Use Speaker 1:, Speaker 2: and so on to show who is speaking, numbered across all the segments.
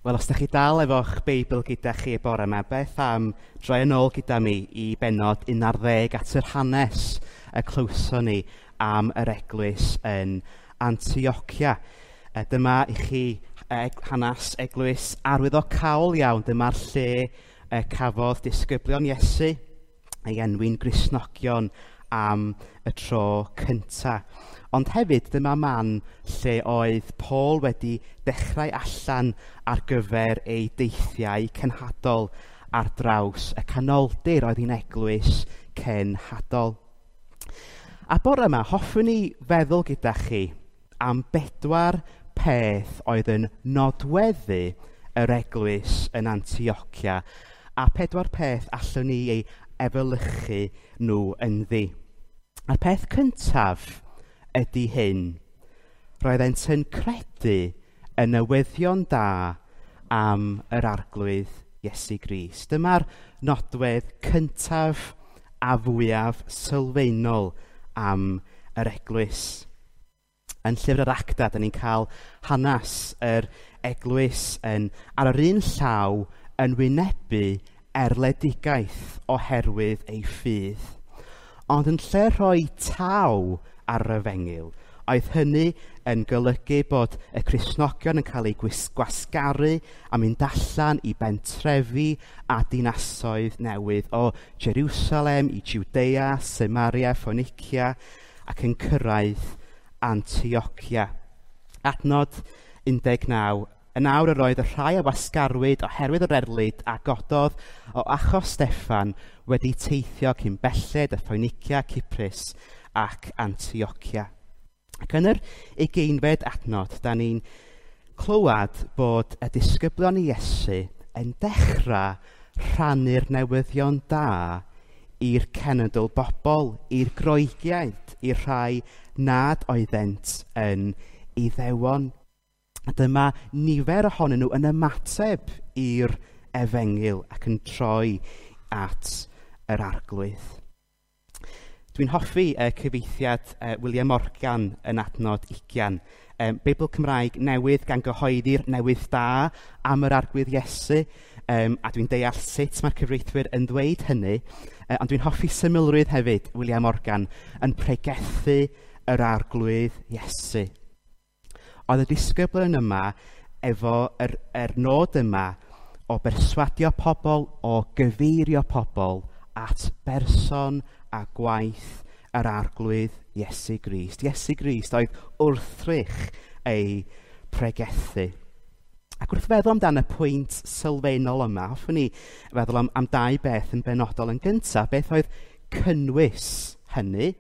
Speaker 1: Wel, os ydych chi dal efo'ch Beibl gyda chi y bore yma, beth am droi yn ôl gyda mi i bennod 11 at yr hanes y clywson ni am yr eglwys yn Antiochia. Dyma i chi hanes eglwys arwyddocaol iawn. Dyma'r lle cafodd disgyblion Iesu ei enwi'n Gristnogion am y tro cynta. Ond hefyd dyma man lle oedd Paul wedi dechrau allan ar gyfer ei deithiau cenhadol ar draws y canoldir oedd hi'n eglwys cenhadol. A bore yma, hoffwn i feddwl gyda chi am bedwar peth oedd yn nodweddu yr eglwys yn Antiochia, a pedwar peth allwn ni ei efelychu nhw ynddi. A'r peth cyntaf ydy hyn. Roeddent yn credu y newyddion da am yr Arglwydd Iesu Grist. Dyma'r nodwedd cyntaf a fwyaf sylfaenol am yr eglwys. Yn llyfr yr Actau, da ni'n cael hanes yr eglwys yn, ar yr un llaw yn wynebu erledigaeth oherwydd ei ffydd. Ond yn lle rhoi taw ar yr efengyl, oedd hynny yn golygu bod y Cristnogion yn cael eu gwasgaru a mynd allan i bentrefi a dinasoedd newydd o Jerusalem i Judea, Samaria, Phoenicia ac yn cyrraedd Antiochia. Adnod 19. Yn awr yr oedd y rhai a wasgarwyd oherwydd yr erlid a gododd o achos Steffan wedi teithio cyn belled y Phoenicia, Cyprus ac Antiochia. Ac yn yr 20fed adnod, da ni'n clywed bod y disgyblion i Iesu yn dechrau rhannu'r newyddion da i'r cenedl bobl, i'r Groegiaid, i'r rhai nad oeddent yn Iddewon. A dyma nifer ohonyn nhw yn ymateb i'r efengyl ac yn troi at yr Arglwydd. Dwi'n hoffi cyfieithiad William Morgan yn adnod 20. Beibl Cymraeg newydd gan gyhoeddi'r newydd da am yr Arglwydd Iesu. A dwi'n deall sut mae'r cyfreithwyr yn dweud hynny. Ond dwi'n hoffi symlrwydd hefyd William Morgan yn pregethu yr Arglwydd Iesu. Oedd y disgyblion yma efo yr nod yma o berswadio pobl, o gyfeirio pobl at berson a gwaith yr Arglwydd Iesu Grist. Iesu Grist oedd wrthrych ei pregethu. Ac wrth feddwl amdan y pwynt sylfaenol yma, hoffwn i feddwl am dau beth yn benodol. Yn gyntaf, beth oedd cynnwys hynny?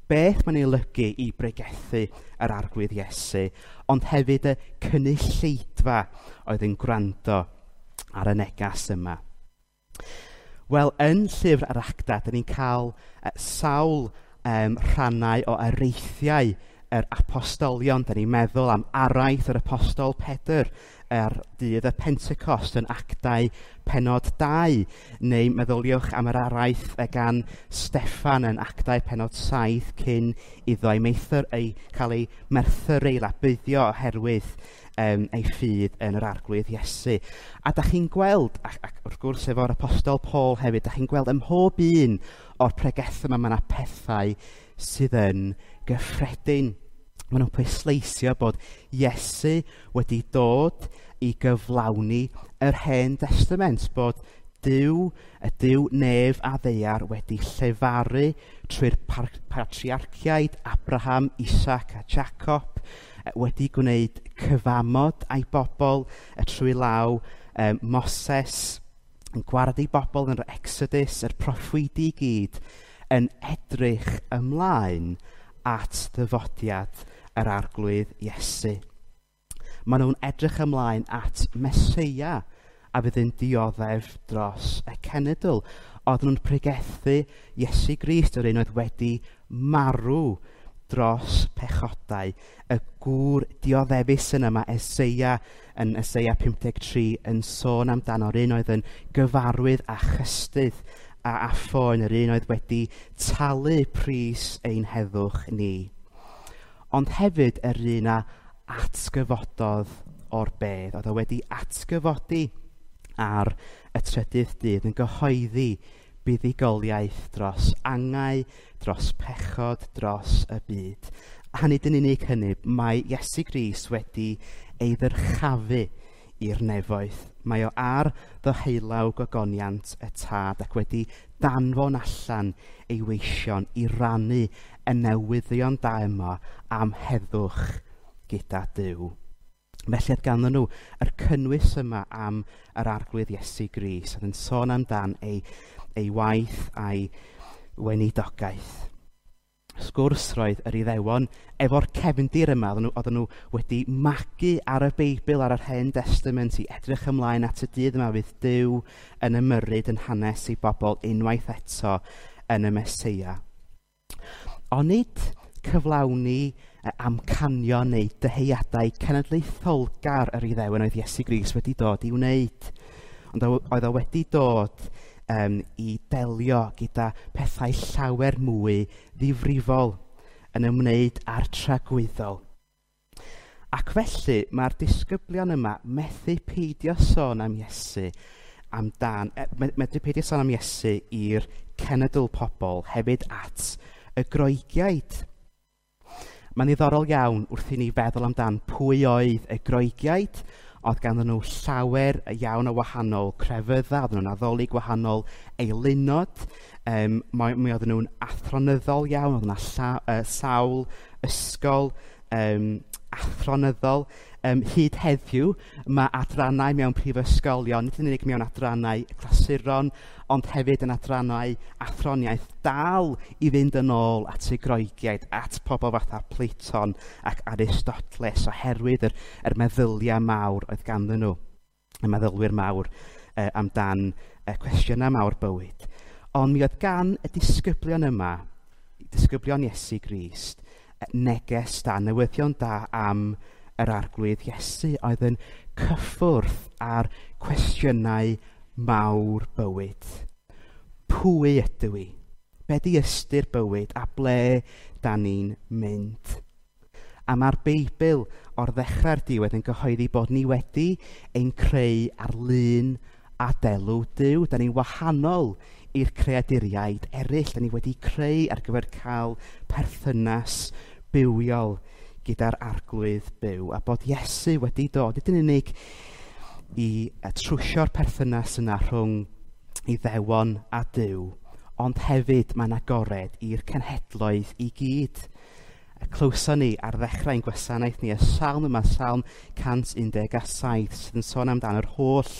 Speaker 1: Beth mae'n ei olygu i bregethu yr Arglwydd Iesu, ond hefyd y cynulleidfa oedd yn gwrando ar y negas yma. Wel, yn llyfr yr Actau, da ni'n cael sawl rhannau o areithiau yr apostolion. Da ni'n meddwl am araith yr apostol Pedr ar dydd y Pentecost yn Actau pennod 2, neu meddyliwch am yr araith gan Steffan yn Actau pennod 7 cyn iddo ei cael ei merthyru, ei labyddio oherwydd ei ffydd yn yr Arglwydd Iesu. A da chi'n gweld, ac wrth gwrs efo'r apostol Paul hefyd, da chi'n gweld ym mhob un o'r pregethau yma, mae yna pethau sydd yn gyffredin. Maen nhw'n pwysleisio bod Iesu wedi dod i gyflawni yr Hen Testament, bod Duw, y Duw nef a ddaear wedi llefaru trwy'r patriarchiaid Abraham, Isaac a Jacob, wedi gwneud cyfamod a'i bobl trwy law Moses, yn gwared ei bobl yn yr Exodus, yr proffwydi i gyd, yn edrych ymlaen at ddyfodiad yr Arglwydd Iesu. Maen nhw'n edrych ymlaen at Meseia a fydd yn dioddef dros y cenedl. Oedden nhw'n pregethu Iesu Grist, yr un oedd wedi marw dros pechodau. Y gŵr dioddefus yna mae Eseia yn Eseia 53 yn sôn amdano'r un oedd yn gyfarwydd a chystudd a phoen, yr un oedd wedi talu pris ein heddwch ni. Ond hefyd yr un a atgyfododd o'r bedd, oedd o wedi atgyfodi ar y trydydd dydd yn gyhoeddi buddugoliaeth dros angau, dros pechod, dros y byd. A nid yn unig hynny, mae Iesu Grist wedi ei ddyrchafu i'r nefoedd. Mae o ar ddyheulaw gogoniant y Tad ac wedi danfon allan ei weision i rannu y newyddion da yma am heddwch gyda Duw. Felly oedd ganddyn nhw yr cynnwys yma am yr Arglwydd Iesu Grist, oedd yn sôn amdan ei waith a'i weinidogaeth. Sgwrs roedd yr Iddewon efo'r cefndir yma, oedden nhw wedi magu ar y Beibl, ar yr Hen Testament, i edrych ymlaen at y dydd yma fydd Duw yn ymyrryd yn hanes i bobl unwaith eto yn y Meseia. Ond nid cyflawni amcanion neu dyheadau cenedlaetholgar yr Iddewon oedd Iesu Grist wedi dod i wneud. Ond oedd o wedi dod i delio gyda pethau llawer mwy ddifrifol yn ymwneud â'r tragwyddol. Ac felly mae'r disgyblion yma methu peidio sôn am Iesu medru peidio sôn am Iesu i'r cenedl pobl hefyd at y Groegiaid. Mae'n ddiddorol iawn wrth i ni feddwl amdan pwy oedd y Groegiaid. Oedd ganddyn nhw llawer iawn o wahanol crefyddau, oedden nhw'n addoli gwahanol eilunod, mi oedden nhw'n athronyddol iawn, oedd yna sawl ysgol athronyddol. Hyd heddiw, mae adrannau mewn prifysgolion, nid yn unig mewn adrannau clasuron, ond hefyd yn adrannau athroniaeth dal i fynd yn ôl at y Groegiaid, at pobl fatha Platon ac Aristoteles, oherwydd yr meddyliau mawr oedd ganddyn nhw, y meddylwyr mawr amdan cwestiynau mawr bywyd. Ond mi oedd gan y disgyblion yma, disgyblion Iesu Grist, neges da, newyddion da am yr Arglwydd Iesu oedd yn cyffwrdd ar cwestiynau mawr bywyd. Pwy ydw i? Be di ystyr bywyd a ble da ni'n mynd? A mae'r Beibl o'r ddechrau'r diwedd yn gyhoeddi bod ni wedi ein creu ar lun a delw Duw. Da ni'n wahanol i'r creaduriaid eraill. Da ni wedi creu ar gyfer cael perthynas bywiol gyda'r Arglwydd byw, a bod Iesu wedi dod, nid yn unig i trwsio'r perthynas yna rhwng Iddewon a Duw, ond hefyd mae'n agored i'r cenhedloedd i gyd. Clywson ni ar ddechrau ein gwasanaeth ni y salm yma, Salm 117, sydd yn sôn amdan yr holl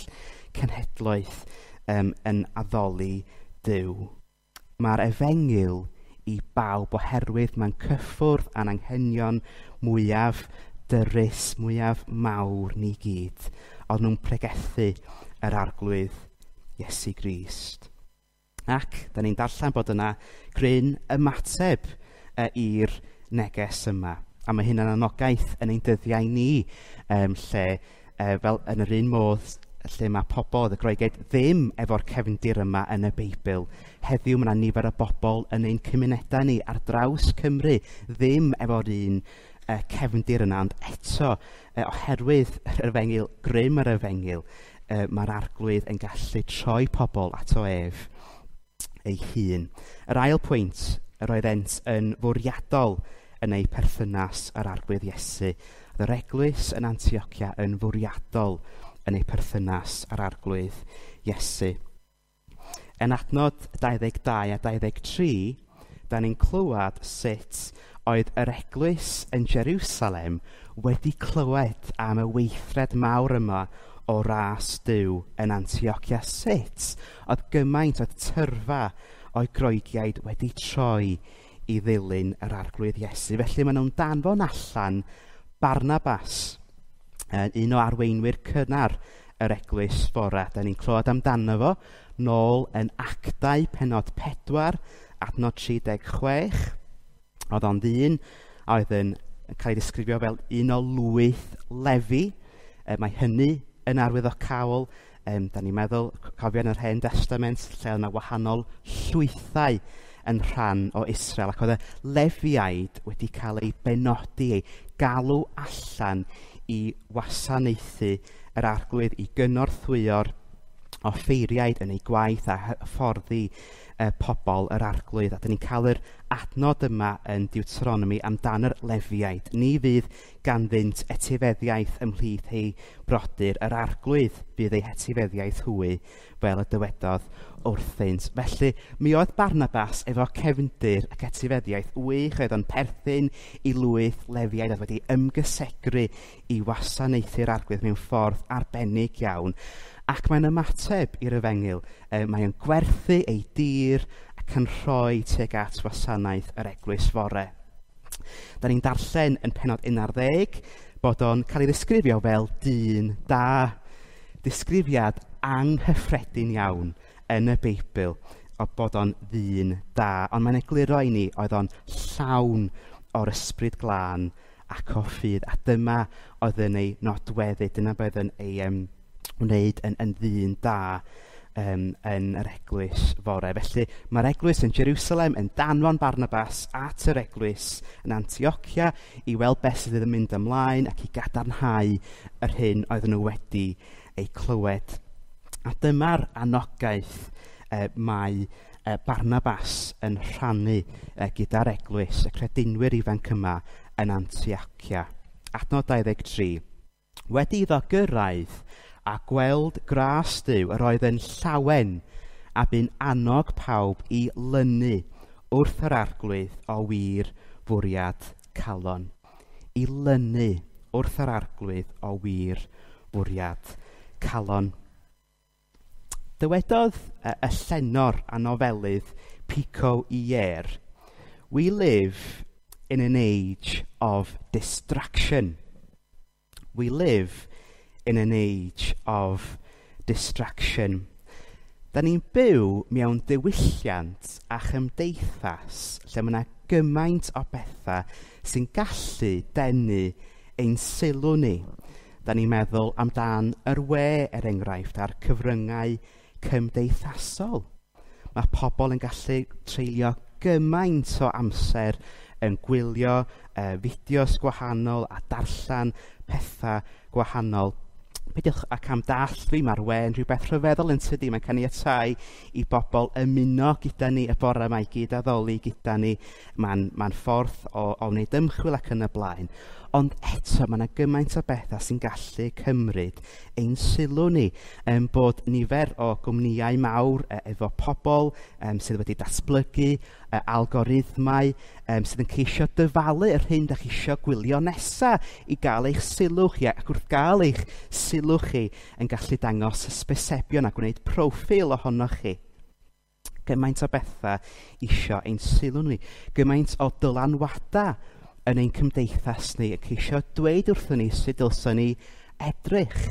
Speaker 1: cenhedloedd yn addoli Duw. Mae'r efengyl i bawb oherwydd mae'n cyffwrdd â'n anghenion mwyaf dyrys, mwyaf mawr ni gyd. Oedd nhw'n pregethu yr Arglwydd Iesu Grist. Ac da ni'n darllen bod yna gryn ymateb i'r neges yma. A mae hynna'n anogaeth yn ein dyddiau ni, lle fel yn yr un modd lle mae pobl, y Groegiaid, ddim efo'r cefndir yma yn y Beibl. Heddiw mae yna nifer o bobl yn ein cymunedau ni ar draws Cymru ddim efo'r un cefndir yna, ond eto, oherwydd yr efengyl, grym yr efengyl, mae'r Arglwydd yn gallu troi pobl ato ef ei hun. Yr ail pwynt, yr oeddent yn fwriadol yn eu perthynas â'r Arglwydd Iesu. Oedd yr eglwys yn Antiochia yn fwriadol yn ei perthynas â'r Arglwydd Iesu. Yn adnod 22 a 23, da ni'n clywed sut oedd yr eglwys yn Jerusalem wedi clywed am y weithred mawr yma o ras Duw yn Antiochia. Sut oedd gymaint oedd tyrfa o'i Groegiaid wedi troi i ddilyn yr Arglwydd Iesu. Felly maen nhw'n danfon allan Barnabas, un o arweinwyr cynnar yr eglwys fora. Da ni'n clywed amdano fo nôl yn Actau pennod 4, adnod 36. Oedd o'n ddyn a oedd yn cael ei ddisgrifio fel un o lwyth Lefi. Mae hynny yn arwyddocaol. Da ni'n meddwl, cofio yn yr Hen Testament, lle oedd yna wahanol llwythau yn rhan o Israel, ac oedd y Lefiaid wedi cael eu benodi, eu galw allan i wasanaethu yr Arglwydd, i gynorthwyo'r offeiriaid yn eu gwaith a hyfforddi pobl yr Arglwydd. A dyn ni'n cael yr adnod yma yn Deuteronomy amdan yr Lefiaid. Ni fydd ganddynt etifeddiaeth ymhlith eu brodyr. Yr Arglwydd fydd eu hetifeddiaeth hwy, fel y dywedodd wrthynt. Felly, mi oedd Barnabas efo cefndir ac etifeddiaeth wych, oedd o'n perthyn i lwyth Lefiaid, oedd wedi ymgysegru i wasanaethu'r Arglwydd mewn ffordd arbennig iawn. Ac mae'n ymateb i'r efengyl. Mae o'n gwerthu ei dir ac yn rhoi tuag at wasanaeth yr eglwys fore. Da ni'n darllen yn pennod 11 bod o'n cael ei ddisgrifio fel dyn da. Disgrifiad anghyffredin iawn yn y Beibl o bod o'n ddyn da. Ond mae'n egluro i ni oedd o'n llawn o'r ysbryd glân ac o ffydd. A dyma oedd yn ei nodweddu, dyna beth yn ei wneud yn ddyn da yn yr eglwys fore. Felly mae'r eglwys yn Jerusalem yn danfon Barnabas at yr eglwys yn Antiochia i weld beth sydd yn mynd ymlaen ac i gadarnhau yr hyn oedden nhw wedi ei clywed. A dyma'r anogaeth mae Barnabas yn rhannu gyda'r eglwys, y credinwyr ifanc yma yn Antiochia. Adnod 23. Wedi iddo gyrraedd a gweld gras Duw, yr oedd yn llawen a bu'n annog pawb i lynu wrth yr Arglwydd o wir fwriad calon. I lynu wrth yr Arglwydd o wir fwriad calon. Dywedodd y llenor a nofelydd Pico Iyer, "We live in an age of distraction. We live in an age of distraction." Da ni'n byw mewn diwylliant a chymdeithas lle mae yna gymaint o bethau sy'n gallu denu ein sylw ni. Da ni'n meddwl amdan yr we, er enghraifft, a'r cyfryngau cymdeithasol. Mae pobl yn gallu treulio gymaint o amser yn gwylio fideos gwahanol a darllen pethau gwahanol. Peidiwch ac am dall fi, mae'r we yn rhywbeth rhyfeddol yn tydi. Mae'n caniatáu i bobl ymuno gyda ni y bore yma, i gyd addoli gyda ni. Mae'n ffordd o wneud ymchwil ac yn y blaen. Ond eto, mae yna gymaint o bethau sy'n gallu cymryd ein sylw ni. Bod nifer o gwmnïau mawr efo pobl sydd wedi datblygu algorithmau sydd yn ceisio dyfalu yr hyn dach chi isio gwylio nesa i gael eich sylw chi. Ac wrth gael eich sylw chi yn gallu dangos hysbysebion a gwneud proffil ohonoch chi. Gymaint o bethau isio ein sylw ni. Gymaint o dylanwadau yn ein cymdeithas ni, yn ceisio dweud wrthyn ni sut dylswn ni edrych,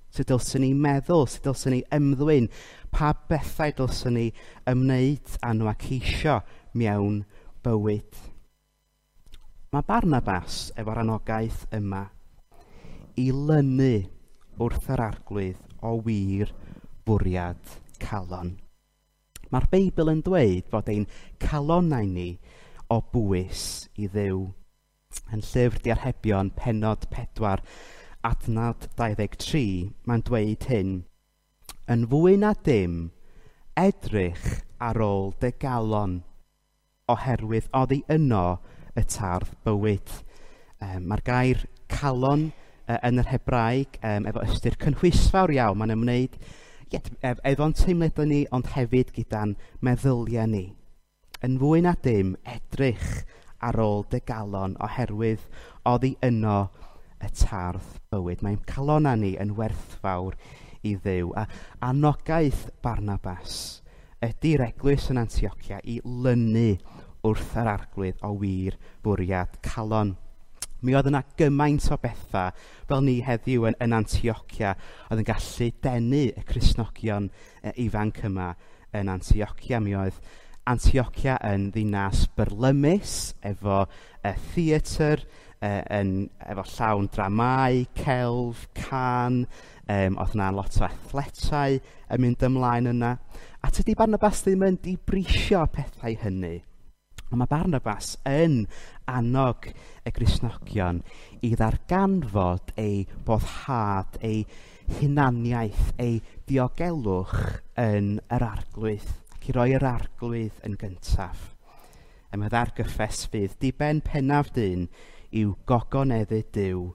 Speaker 1: sut dylswn ni meddwl, sut dylswn ni ymddwyn, pa bethau dylswn ni ymwneud â nhw a ceisio mewn bywyd. Mae Barnabas efo'r anogaeth yma i lynu wrth yr Arglwydd o wir fwriad calon. Mae'r Beibl yn dweud fod ein calonnau ni o bwys i Dduw. Yn llyfr Diarhebion, pennod 4, adnod 23, mae'n dweud hyn: Yn fwy na dim, edrych ar ôl dy galon, oherwydd oddi yno y tardd bywyd. Mae'r gair calon yn yr Hebraeg efo ystyr cynhwysfawr iawn. Mae'n ymwneud efo'n teimladau ni, ond hefyd gyda'n meddyliau ni. Yn fwy na dim, edrych ar ôl dy galon, oherwydd oddi yno y tardd bywyd. Mae'n calonnau ni yn werthfawr i Dduw. A anogaeth Barnabas ydy'r eglwys yn Antiochia i lynu wrth yr Arglwydd o wir fwriad calon. Mi oedd yna gymaint o bethau fel ni heddiw yn Antiochia oedd yn gallu denu y Cristnogion ifanc yma yn Antiochia. Mi oedd Antiochia yn ddinas byrlymus efo theatr, efo llawn dramau, celf, can, oedd yna lot o athletau yn mynd ymlaen yna. A tydi Barnabas ddim yn dibrisio pethau hynny. Ond mae Barnabas yn annog y Gristnogion i ddarganfod eu boddhad, eu hunaniaeth, eu diogelwch yn yr Arglwydd, ac i roi yr Arglwydd yn gyntaf. A mae ddargyffes fydd diben pennaf dyn yw gogoneddu Duw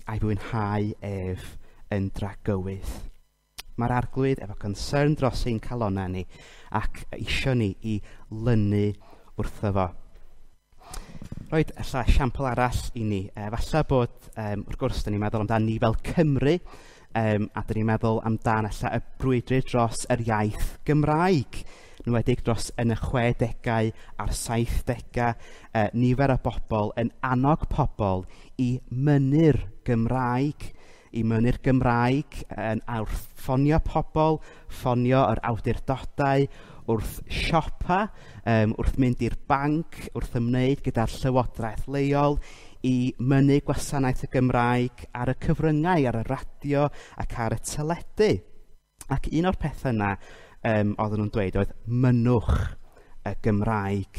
Speaker 1: a'i fwynhau ef yn dragywydd. Mae'r Arglwydd efo concern dros ein calonnau ni ac isio ni i lynu wrtho fo. Roed ella esiampl arall i ni. Falle bod, wrth gwrs, dyn ni'n meddwl amdan ni fel Cymru, a dyn ni'n meddwl amdan ella y brwydr dros yr iaith Gymraeg, yn enwedig dros yn y 60au a'r 70au, nifer o bobl yn annog pobl i mynnu'r Gymraeg, yn wrth ffonio pobl, ffonio yr awdurdodau, wrth siopa, wrth mynd i'r banc, wrth ymwneud gyda'r llywodraeth leol, i mynnu gwasanaeth y Gymraeg ar y cyfryngau, ar y radio ac ar y teledu. Ac un o'r pethau yna oedden nhw'n dweud oedd mynnwch y Gymraeg.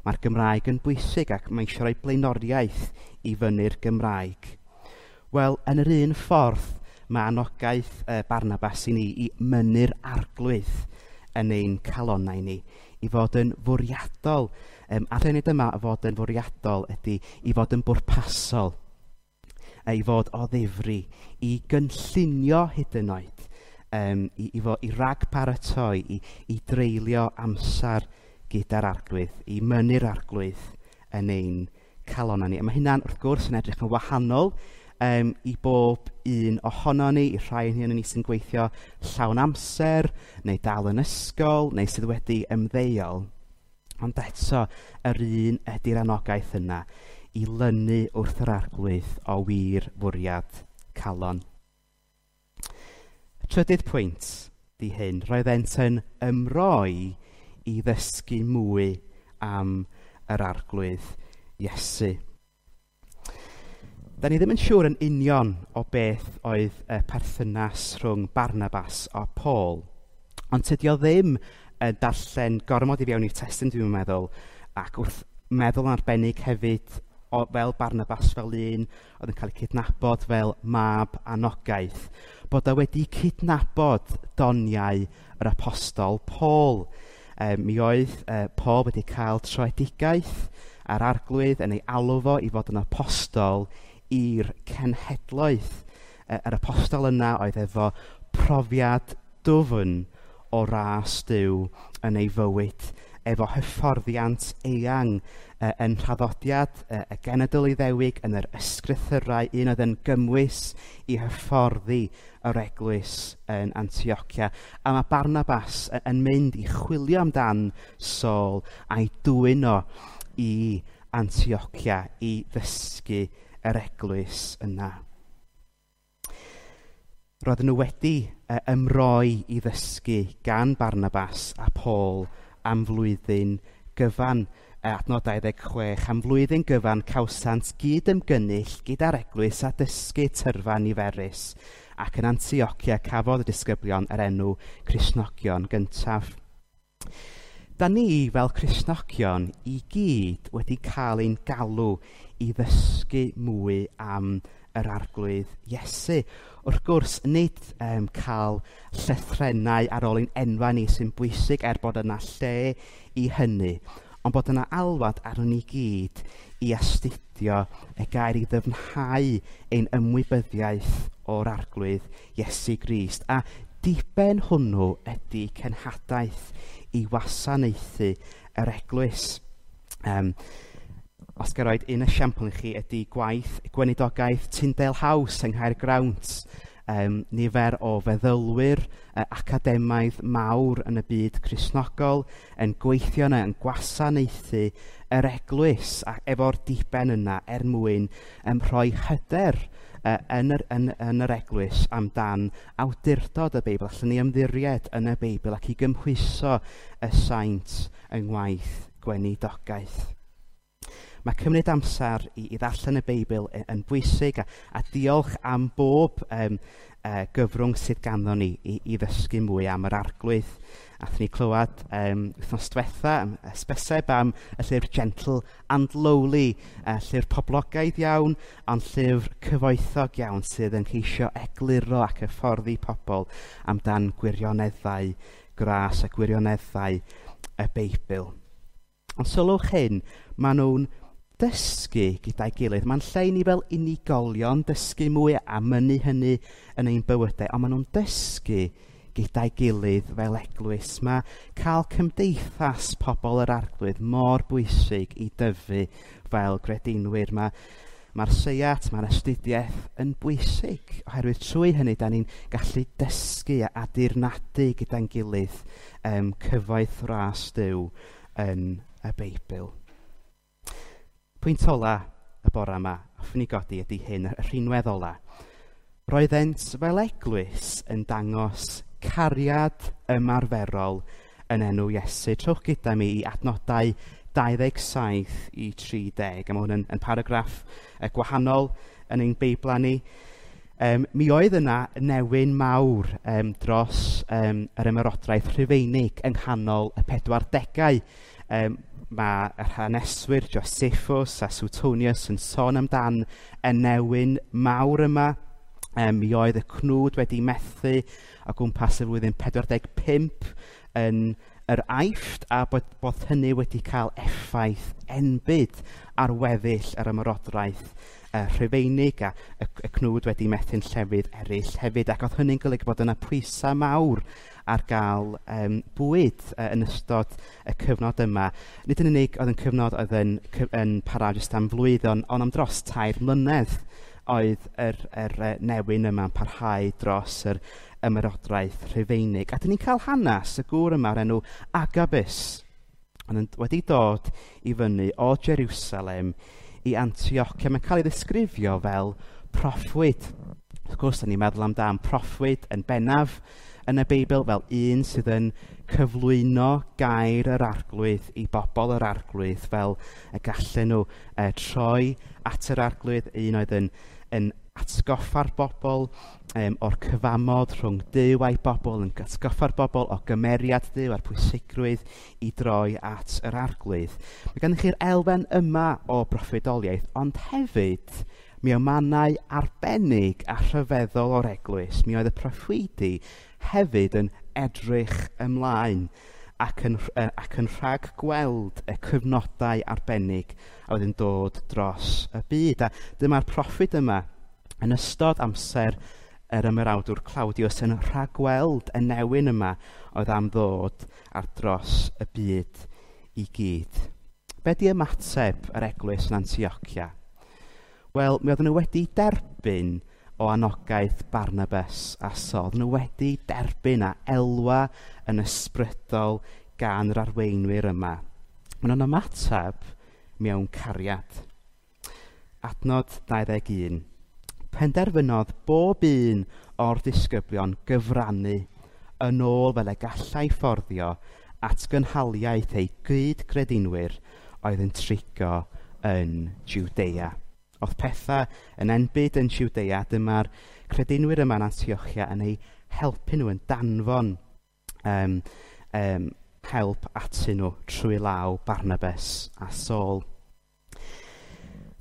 Speaker 1: Mae'r Gymraeg yn bwysig ac mae eisiau rhoi blaenoriaeth i fyny'r Gymraeg. Wel, yn yr un ffordd, mae anogaeth Barnabas i ni i mynnu'r Arglwydd yn ein calonnau ni, i fod yn fwriadol. A'r hynny yma fod yn fwriadol ydy i fod yn bwrpasol, i fod o ddifri, i gynllunio hyd yn oed, i ragparatoi, i dreulio amser gyda'r Arglwydd, i mynnu'r Arglwydd yn ein calonnau ni. A mae hynna'n wrth gwrs yn edrych yn wahanol i bob un ohono ni, i rhai ohonon ni sy'n gweithio llawn amser, neu dal yn ysgol, neu sydd wedi ymddeol. Ond eto, yr un ydy'r anogaeth yna i lynu wrth yr Arglwydd o wir fwriad calon. Y trydydd pwynt di hyn, roeddent yn ymroi i ddysgu mwy am yr Arglwydd Iesu. Da ni ddim yn siŵr yn union o beth oedd y perthynas rhwng Barnabas a Paul, ond tydi o ddim yn darllen gormod i fewn i'r testun, dwi'n meddwl, ac wrth meddwl yn arbennig hefyd fel Barnabas fel un oedd yn cael ei cydnabod fel mab anogaeth, bod o wedi cydnabod doniau yr apostol Paul. Mi oedd Paul wedi cael troedigaeth a'r Arglwydd yn ei alw fo i fod yn apostol i'r cenhedloedd. Yr apostol yna oedd efo profiad dwfn o ras Duw yn ei fywyd, efo hyfforddiant eang yn nhraddodiad y genedl Iddewig yn yr ysgrythurau, un oedd yn gymwys i hyfforddi yr eglwys yn Antiochia. A mae Barnabas yn mynd i chwilio amdan Saul a'i dwyn o i Antiochia i ddysgu yr eglwys yna. Roedden nhw wedi ymroi i ddysgu gan Barnabas a Paul am flwyddyn gyfan. Adnod 26, am flwyddyn gyfan cawsant gyd ymgynnull gyda'r eglwys a dysgu tyrfa niferus, ac yn Antiochia cafodd y disgyblion yr enw Cristnogion gyntaf. Da ni fel Cristnogion i gyd wedi cael ein galw i ddysgu mwy am yr Arglwydd Iesu. Wrth gwrs, nid cael llythrennau ar ôl ein enwau ni sy'n bwysig er bod yna lle i hynny, ond bod yna alwad arnon ni gyd i astudio y gair i ddyfnhau ein ymwybyddiaeth o'r Arglwydd Iesu Grist. A diben hwnnw ydy cenhadaeth i wasanaethu yr eglwys. Os gael roed un esiampl i chi ydy gwaith gweinidogaeth Tyndale House yng Nghaergrawnt. Nifer o feddylwyr academaidd mawr yn y byd Cristnogol yn gweithio yna, yn gwasanaethu yr eglwys ac efo'r diben yna er mwyn rhoi hyder yn yr eglwys amdan awdurdod y Beibl. Allan ni ymddiried yn y Beibl ac i gymhwyso y saint yng ngwaith gweinidogaeth. Mae cymryd amser i ddarllen y Beibl yn bwysig a diolch am bob gyfrwng sydd ganddo ni i ddysgu mwy am yr Arglwydd. Athyn ni clywed wythnos diwetha am hysbyseb am y llyfr Gentle and Lowly, llyfr poblogaidd iawn, ond llyfr cyfoethog iawn sydd yn ceisio egluro ac hyfforddi pobl amdan gwirioneddau gras a gwirioneddau y Beibl. Ond sylwch hyn, maen nhw'n dysgu gyda'i gilydd. Mae'n lle i ni fel unigolion dysgu mwy a mynnu hynny yn ein bywydau, ond maen nhw'n dysgu gyda'i gilydd fel eglwys. Mae cael cymdeithas pobl yr Arglwydd mor bwysig i dyfu fel gredinwyr. Mae'r seiat, mae'r astudiaeth yn bwysig, oherwydd trwy hynny da ni'n gallu dysgu a dirnadu gyda'n gilydd cyfoeth ras Duw yn y Beibl. Pwynt ola y bore yma, hoffwn i godi ydy hyn, y rhinwedd ola. Roeddent fel eglwys yn dangos cariad ymarferol yn enw Iesu. Trowch gyda mi i adnodau 27 i 30. A mae hwn yn paragraff gwahanol yn ein Beiblau ni. Mi oedd yna newyn mawr dros yr ymerodraeth Rhufeinig yng nghanol y 40au. Mae yr haneswyr Josephus a Suetonius yn sôn amdan y newyn mawr yma. Mi oedd y cnwd wedi methu o gwmpas y flwyddyn 45 yn yr Aifft, a bod hynny wedi cael effaith enbyd ar weddill yr ymerodraeth Rhufeinig, a y cnwd wedi methu'n llefydd eraill hefyd, ac oedd hynny'n golygu bod yna pwysau mawr ar gael bwyd yn ystod y cyfnod yma. Nid yn unig oedd yn cyfnod oedd yn para jyst am flwyddyn, ond am dros 3 mlynedd oedd yr newyn yma'n parhau dros yr ymerodraeth Rhufeinig. A dyn ni'n cael hanes y gŵr yma o'r enw Agabus, ond wedi dod i fyny o Jerusalem i Antioch. Mae'n cael ei ddisgrifio fel proffwyd. Wrth gwrs, dyn ni'n meddwl amdan proffwyd yn bennaf yn y Beibl fel un sydd yn cyflwyno gair yr Arglwydd i bobl yr Arglwydd, fel y gallen nhw troi at yr Arglwydd, un oedd yn atgoffa'r bobl o'r cyfamod rhwng Duw a'i bobl, yn atgoffa'r bobl o gymeriad Duw a'r pwysigrwydd i droi at yr Arglwydd. Mae gennych chi'r elfen yma o broffwydoliaeth, ond hefyd mi o mannau arbennig a rhyfeddol o'r eglwys, mi oedd y proffwydi hefyd yn edrych ymlaen ac yn rhag gweld y cyfnodau arbennig a oedd yn dod dros y byd. A dyma'r proffwyd yma yn ystod amser yr ymerawdwr Claudius yn rhagweld y newyn yma oedd am ddod ar dros y byd i gyd. Be di ymateb yr eglwys yn Antiochia? Wel, mi oedden nhw wedi derbyn o anogaeth Barnabas a Saul. Oedden nhw wedi derbyn a elwa yn ysbrydol gan yr arweinwyr yma. Maen nhw'n ymateb mewn cariad. Adnod 21. Penderfynodd bob un o'r disgyblion gyfrannu yn ôl fel y gallai fforddio at gynhaliaeth eu gyd-gredinwyr oedd yn trigo yn Jwdea. Oedd pethau yn enbyd yn Jwdea, dyma'r credinwyr yma yn Antiochia yn eu helpu nhw, yn danfon help atyn nhw trwy law Barnabas a Saul.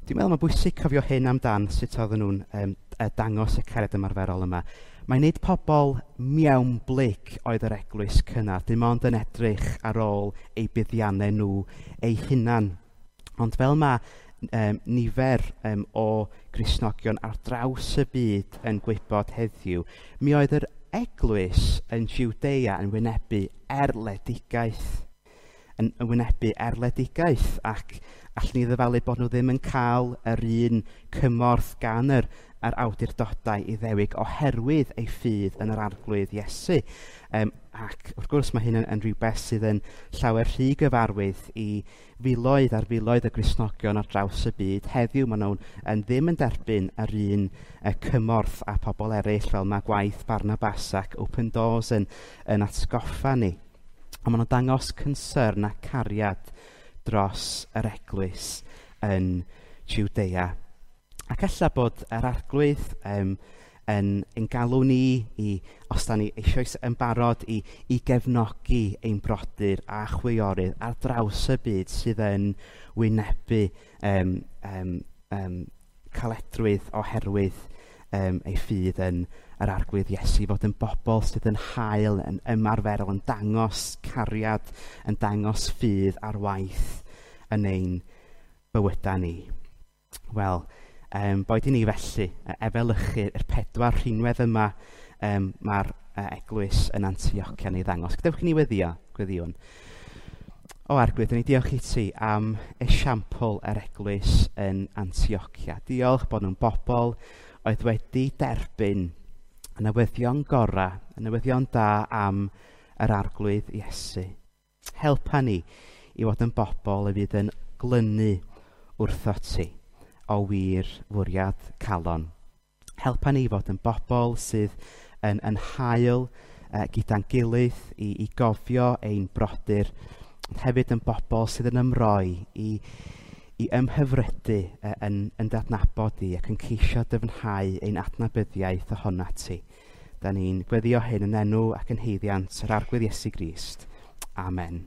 Speaker 1: Dwi'n meddwl mae'n bwysig cofio hyn amdan sut oedden nhw'n dangos y cariad ymarferol yma. Mae nid pobl mewnblyg oedd yr eglwys cynnar, dim ond yn edrych ar ôl eu buddiannau nhw eu hunan. Ond fel mae nifer o Gristnogion ar draws y byd yn gwybod heddiw, mi oedd yr eglwys yn Jwdea yn wynebu erledigaeth. Yn wynebu erledigaeth, ac allwn ni ddyfalu bod nhw ddim yn cael yr un cymorth gan yr awdurdodau Iddewig oherwydd eu ffydd yn yr Arglwydd Iesu. Ac wrth gwrs mae hyn yn rhywbeth sydd yn llawer rhy gyfarwydd i filoedd ar filoedd y Gristnogion ar draws y byd. Heddiw maen nhw'n ddim yn derbyn yr un cymorth a pobl eraill, fel mae gwaith Barnabas ac Open Doors yn atgoffa ni. Ond maen nhw'n dangos concern a cariad dros yr eglwys yn Jwdea. Ac ella bod yr Arglwydd yn galw ni i, os da ni eisoes yn barod, i gefnogi ein brodyr a chwiorydd ar draws y byd sydd yn wynebu caledrwydd oherwydd ei ffydd yn yr Arglwydd Iesu, fod yn bobl sydd yn hael, yn ymarferol, yn dangos cariad, yn dangos ffydd ar waith yn ein bywydau ni. Wel, boed i ni felly efelychu'r 4 rhinwedd yma mae'r eglwys yn Antiochia yn ei ddangos. Gadewch i ni weddio, gweddiwn. O Arglwydd, ni diolch i ti am esiampl yr eglwys yn Antiochia. Diolch bod nhw'n bobl oedd wedi derbyn y newyddion gorau, y newyddion da am yr Arglwydd Iesu. Helpa ni i fod yn bobl y fydd yn glynu wrtho ti o wir fwriad calon. Helpa ni fod yn bobl sydd yn hael gyda'n gilydd i gofio ein brodyr, ond hefyd yn bobl sydd yn ymroi i ymhyfrydu yn dadnabod di ac yn ceisio dyfnhau ein adnabyddiaeth ohonat ti. Da ni'n gweddio hyn yn enw ac yn haeddiant yr Arglwydd Iesu Grist. Amen.